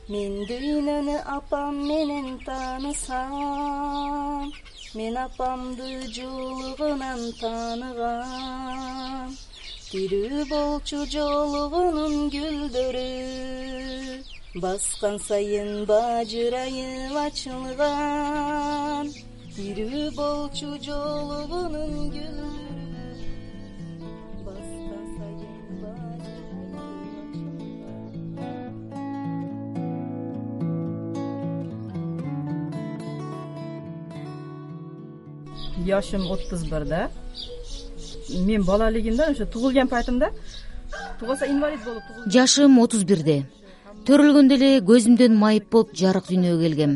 Мен дүйнөнү апам менен таанысам, мен апамды жолугунан тааныгам. Тирүү болчу жолугунун гүлдөрү, баскан сайын бажырайып ачылган. Тирүү болчу жолугунун гүлдөрү, баскан сайын бажырайып ачылган. Yaşım 31'de. Men bolaligimda o'sha tug'ilgan paytimda tug'ilsa invalid bo'lib tug'ildim. Жашым 31'de. Төрөлгөндө эле көзүмдөн майып болуп жарык дүйнөгө келгем.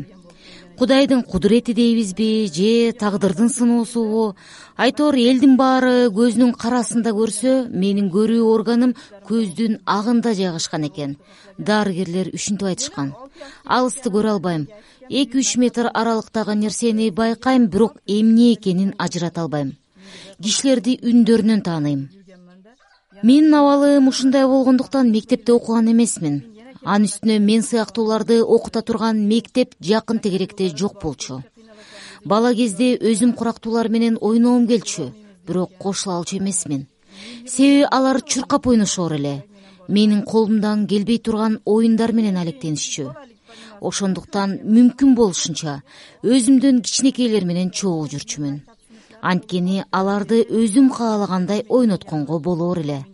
Кудайдын кудурети дейбизби, же тагдырдын сыноосубу? Айтор элдин баары көзүнүн карасында көрсө, менин көрүү органым көздүн агында жайгашкан экен. Дарыгерлер ушинтип айтышкан. Алысты көрө албайм. 2-3 метр аралыктагы нерсени байкайм, бирок эмне экенин ажырата албайм. Кишилерди үндөрүнөн тааныйм. Менин абалым ушундай болгондуктан мектепте окуган эмесмин. Анын үстүнө мен сыяктууларды окута турган мектеп жакын тегеректе жок болчу. Бала кезде өзүм курактуулар менен ойногум келчү, бирок кошула алчу эмесмин. Себеби алар чуркап ойношор эле. Менин колумдан келбей турган оюндар менен алектенишчү. Ошондуктан мүмкүн болушунча өзүмдөн кичинекейлер менен чогуу жүрчүмүн. Анткени аларды өзүм каалагандай ойнотконго болор эле.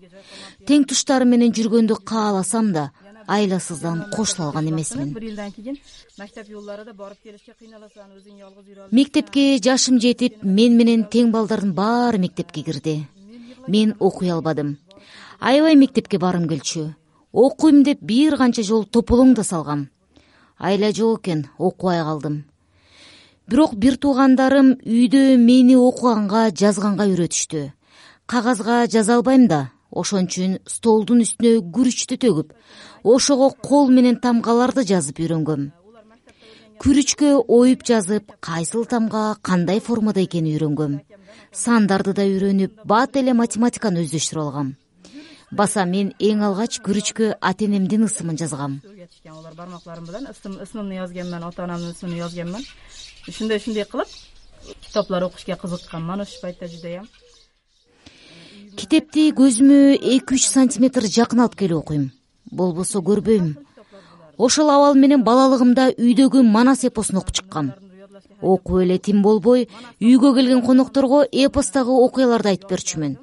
Тең туштарым менен жүргөндү кааласам да, айласыздан кошула алган эмесмин. Мектепке жашым жетип, мен менен тең балдардын баары мектепке кирди. Мен окуй албадым. Аябай мектепке барым келчү. Окуйм деп бир канча жолу тополоң да салгам. Айла жок экен, окубай калдым. Бирок бир туугандарым үйдө мени окуганга, жазганга үйрөтүштү. Кагазга жаза албайм да, ошон үчүн столдун үстүнө күрүчтү төгүп, ошого кол менен тамгаларды жазып үйрөнгөм. Күрүчкө оюп жазып, кайсыл тамга кандай формада экенин үйрөнгөм. Сандарды да үйрөнүп, бат эле математиканы өздөштүрүп алгам. Баса мен эң алгач күрүчкө ата-энемдин ысымын жазгам. Алар бармакларым менен ысымымды жазганмын, ата-анамдын ысымын жазганмын. Ушундай кылып китаптар окушка кызыкканмын ошол пайтта жудайам. Китепти көзүмө 2-3 сантиметр жакын алып келип окуйм. Болбосо көрбөйм. Ошол абал менен балалыгымда үйдөгү Манас эпосун окуп чыккам. Окуп эле тим болбой, үйгө келген конокторго эпостагы окуяларды айтып берчүмүн.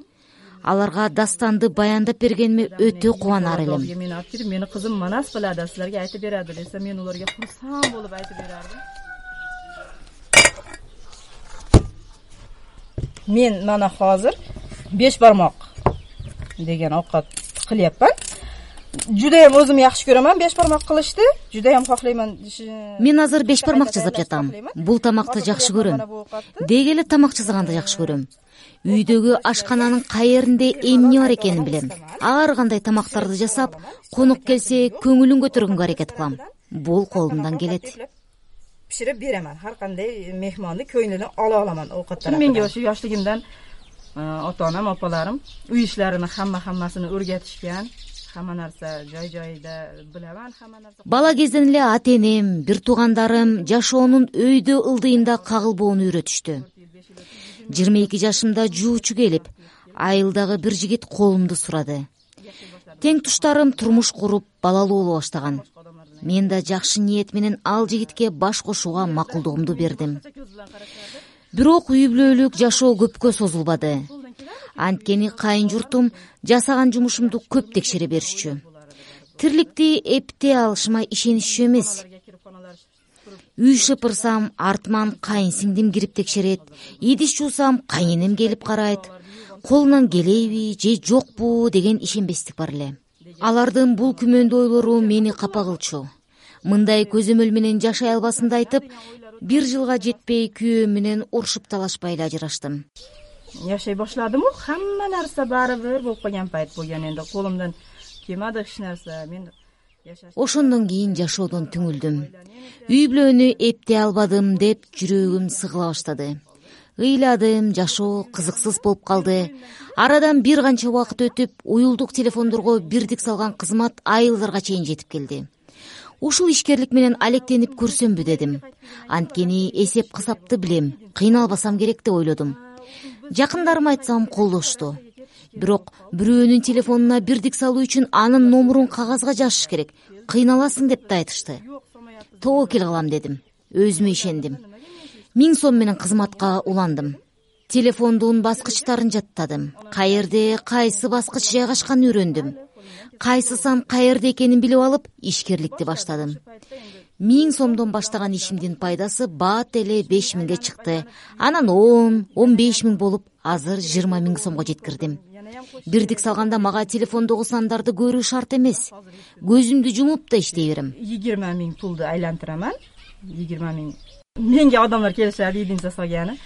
Аларга дастанды баяндап бергениме өтө кубанар элем. Мени кызым Манас балада силерге айтып берadi десе, мен уларга курсам болуп айтып берардым. Мен мана азыр 5 бармак деген окка кылыпмын. Жудайым өзүм жакшы көрөмөн 5 бармак кылышты. Жудайым каклайман. Мен азыр 5 бармак жазып жатам. Бул тамакты жакшы көрөм. Деги эле тамак жасаганды жакшы көрөм. Үйдөгү ашкананын каеринде эмне бар экенин билем. Ар кандай тамактарды жасап, конок келсе көңүлүн көтөргөнгө аракет кылам. Бул колумдан келет. Пиширип беремин. Ар кандай мехманды көңүлүнө ала аламан оокаттарды. Менге ошо жаштыгымдан ата-анам, апаларым үй иштеринин хаммасын өргөтүшкөн. Хамма нарса жай-жайда билемин, хамма нарса. Бала кезден эле ата-энем, бир туугандарым жашоонун өйдө ылдыйында кагылбоону үйрөтүштү. 22 жашымда жуучу келип, айылдагы бир жигит колумду сурады. Тең туштарым турмуш куруп, балалуу боло баштаган. Мен да жакшы ниет менен ал жигитке баш кошууга макулдугумду бердим. Бирок үй бүлөлүк жашоо көпкө созулбады. Анткени кайын журтум жасаган жумушумду көп текшере беришчү. Тирликти эптей алышыма ишенишчү эмес. Үй шыпырсам, артман кайын сиңдим кирип текшерет. Идиш жуусам, кайынем келип карайт. Колунан келеби же жокпу деген ишенбестик бар эле. Алардын бул күмөндүү ойлору мени капа кылчу. Мындай көзөмөл менен жашай албасымды айтып, 1 жылга жетпей күйөөм менен урушуп талашпай эле ажыраштым. Жашай башладым, хамма нарса баары бир болуп калган пайт болгон. Энди колумдан келмеди эч нерсе. Мен ошондон кийин жашоодон түңүлдүм. Үй бүлөнү эптей албадым деп жүрөгүм сыгыла баштады. Ыйладым, жашоо кызыксыз болуп калды. Арадан бир канча убакыт өтүп, уюлдук телефондорго бирдик салган кызмат айылдарга чейин жетип келди. Ушул ишкерлик менен алектенип көрсөмбү дедим. Анткени эсеп кысапты билем, кыйналбасам керек деп ойлодум. Жакындарым айтсам колдошту. Бирок бирөөнүн телефонуна бирдик салуу үчүн анын номурун кагазга жазыш керек. Кыйналасың деп да айтышты. Тобокел кылам дедим. Өзүмө ишендим. 1000 сом менен кызматка уландым. Телефондун баскычтарын жаттадым. Каерде кайсы баскыч жайгашканын үйрөндүм. Кайсы сан каерде экенин билип алып, ишкерликти баштадым. 1000 сомдон баштаган ишимдин пайдасы бат эле 5000ге чыкты. Анан 10-15 миң болуп, азыр 20 000 сомго жеткирдим. Бирдик салганда мага телефондогу сандарды көрүү шарт эмес. Көзүмдү жумуп да иштей берем. 20 000 пулду айлантыраман. 20 000. Менге адамдар келишет, идин жасаганы.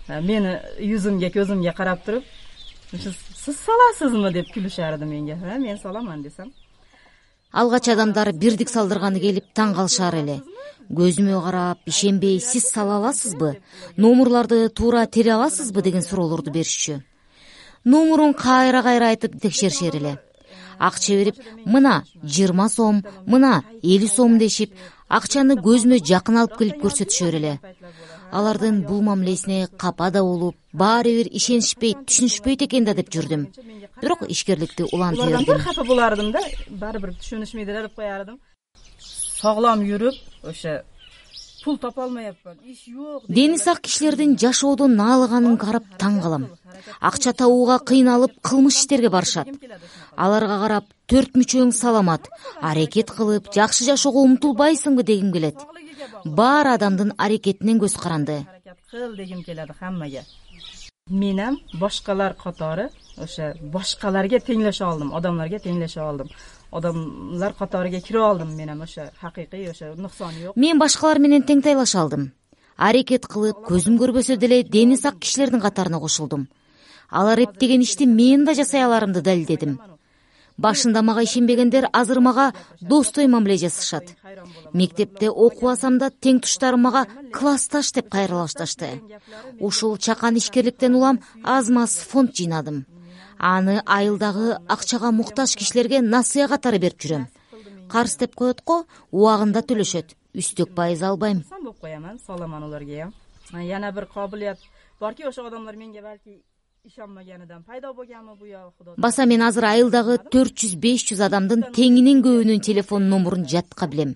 Мени yüzүмгө, көзүмгө карап туруп, "Сиз саласызмы?" деп күлүшөрдү менге. Мен саламан десем. Алгач адамдар бирдик салдырганы келип таң калышар эле. Көзүмө карап, ишенбей, "Сиз сала аласызбы? Номурларды туура тере аласызбы?" деген суроолорду беришчү. Номурун кайра айтып текшеришер эле. Акча берип, "Мына 20 сом, мына 50 сом" дешип, акчаны көзүмө жакын алып келип көрсөтүшөр эле. Алардын бул мамилесине капа да болуп, баары бир ишенишпейт, түшүнүшпөйт экен да деп жүрдүм. Бирок ишкерликти улантып бердим. Алардан капа болардым да, баары бир түшүнүшмөйт деп коярдым. Соглом жүрүп, ошо пул тапа алмайапман. Иш жок. Дени сак кишилердин жашоодон наалыганын карап таң калам. Акча табууга кыйналып, кылмыш иштерге барышат. Аларга карап, "Төрт мүчөң саламат, аракет кылып, жакшы жашоого умтулбайсыңбы?" дегим келет. Баар адамдын аракетинен көз каранды. Кыл дегим келет хаммага. Менем башкалар катары, ошо башкаларга теңлеше алдым, адамдарга теңлеше алдым. Адамдар катарыга кирип алдым менен, ошо хакыйкый, ошо нуксан жок. Мен башкалар менен тең тайлаша алдым. Аракет кылып, көзүм көрбөсө деле дени сак кишилердин катарына кошулдум. Алар эптеген ишти мен да жасай аларымды далилдедим. Башында мага ишенбегендер азыр мага достой мамиле жасашат. Мектепте окубасам да тең туштарым мага классташ деп кайрыла башташты. Ушул чакан ишкерликтен улам аз-маз фонд жыйнадым. Аны айылдагы акчага муктаж кишилерге насыя катары берип жүрөм. Карыз деп коет го, убагында төлөшөт. Үстөк пайыз албайм. Сан болуп кояман, саламан аларга. Яна бир кабылет барки, ошо адамдар менге балки ишенмегенидан пайда болгонму бу я Кудо. Баса мен азыр айылдагы 400-500 адамдын теңинен көбүнүн телефон номурун жатка билем.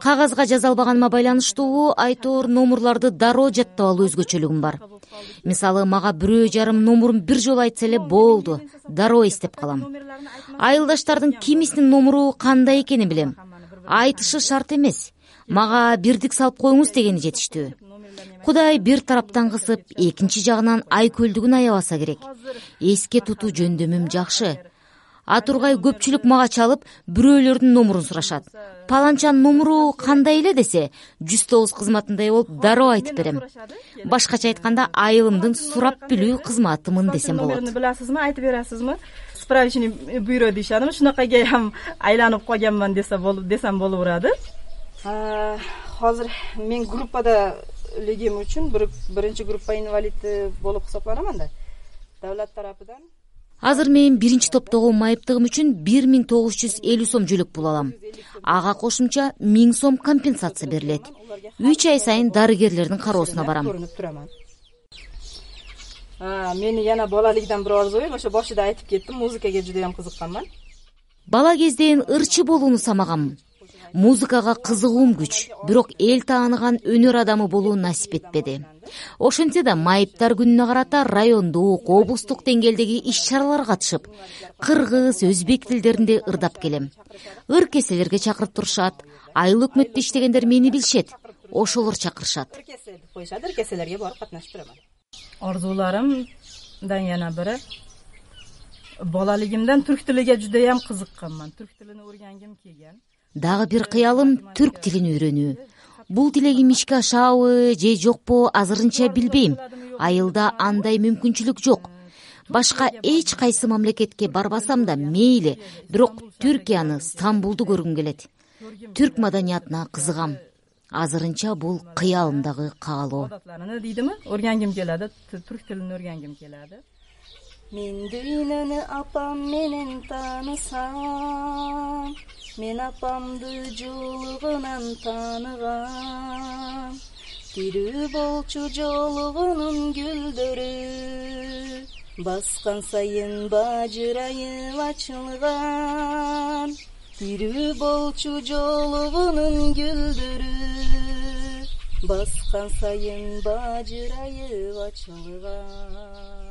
Кагазга жаза албаганыма байланыштуу айтор номурларды дароо жаттап алуу өзгөчөлүгүм бар. Мисалы, мага бирөө жарым номурун бир жолу айтса эле болду, дароо эстеп калам. Айылдаштардын кимисинин номуру кандай экенин билем. Айтышы шарт эмес. Мага бирдик салып коюңуз дегени жетиштүү. Кудай бир тараптан кысып, экинчи жагынан айкөлдүгүн аябаса керек. Эске тутуу жөндөмүм жакшы. Атургай көпчүлүк мага чалып, бирөөлөрдүн номурун сурашат. Паланчанын номуру кандай эле десе, 109 кызматындай болуп дароо айтып берем. Башкача айтканда, айылымдын сурап билүү кызматымын десем болот. Номерин биласызмы, айтып берасызмы? Справочный бюро дешадым, шунакайга ham айланып койгонман десем болуп турады. Азыр мен группада легим үчүн биринчи группа инвалиди болуп хесапланаман да. Давлат тарапынан. Азыр мен биринчи топтогу майыптыгым үчүн 1950 сом жөлөк пул алам. Ага кошумча 1000 сом компенсация берилет. 3 ай сайын дарыгерлердин кароосуна барам. Мени яна балалыгдан бир арзуйм, ошо башында айтып кеттим, музыкага жудайым кызыкканман. Бала кезден ырчы болууну самагам. Музыкага кызыгуум күч, бирок эл тааныган өнөр адамы болуу насип этпеди. Ошентсе да майыптар күнүнө карата райондук, облустук деңгээлдеги иш-чараларга катышып, кыргыз, өзбек тилдеринде ырдап келем. Ыр кеселерге чакырып турушат. Айыл өкмөттө иштегендер мени билишет. Ошолор чакырышат. Ыр кеселерге барып катнашып турам. Арзууларымдан яна бири балалыгымдан түрк тилиге жудайым кызыкканман. Түрк тилин o'rgangim kelgan. Дагы бир кыялым түрк тилин үйрөнүү. Бул тилегим ишке ашабы же жокпу азырынча билбейм. Айылда андай мүмкүнчүлүк жок. Башка эч кайсы мамлекетке барбасам да мейли, бирок Түркияны, Стамбулду көргүм келет. Түрк маданиятына кызыгам. Азырынча бул кыялымдагы каалоо. Дейдими? O'rgangim keladi, түрк тилин o'rgangim keladi. Мен дүйнөнү апам менен таанысам, мен апамды жолугунан тааныгам. Тирүү болчу жолугунун гүлдөрү, баскан сайын бажырайып ачылган. Тирүү болчу жолугунун гүлдөрү, баскан сайын бажырайып ачылган.